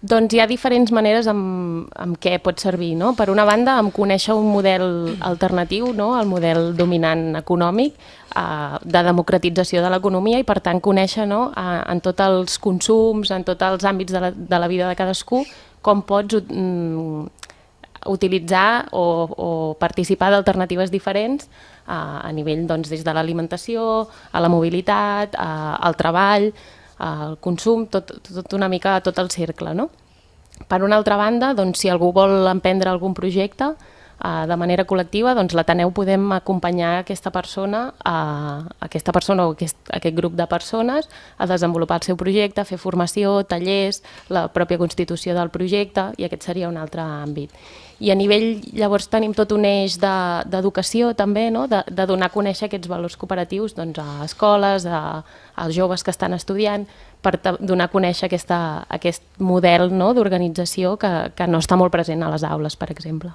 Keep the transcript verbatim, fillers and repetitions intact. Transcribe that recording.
Doncs hi ha diferents maneres amb, amb què pot servir, no? Per una banda, amb conèixer un model alternatiu, no? El model dominant econòmic, eh, de democratització de l'economia i, per tant, conèixer, no? eh, en tots els consums, en tots els àmbits de la, de la vida de cadascú, com pots mm, utilitzar o, o participar d'alternatives diferents eh, a nivell, doncs, des de l'alimentació, a la mobilitat, eh, al treball, el consum, tot, tot una mica tot el cercle, no? Per una altra banda, doncs, si algú vol emprendre algun projecte eh, de manera col·lectiva, doncs l'Ateneu podem acompanyar aquesta persona, a, aquesta persona o aquest, aquest grup de persones a desenvolupar el seu projecte, a fer formació, tallers, la pròpia constitució del projecte, i aquest seria un altre àmbit. I a nivell, llavors, tenim tot un eix d'educació de, també, no? de, de donar a conèixer aquests valors cooperatius doncs, a escoles, a, als joves que estan estudiant, per donar a conèixer aquesta, aquest model, no? d'organització que, que no està molt present a les aules, per exemple.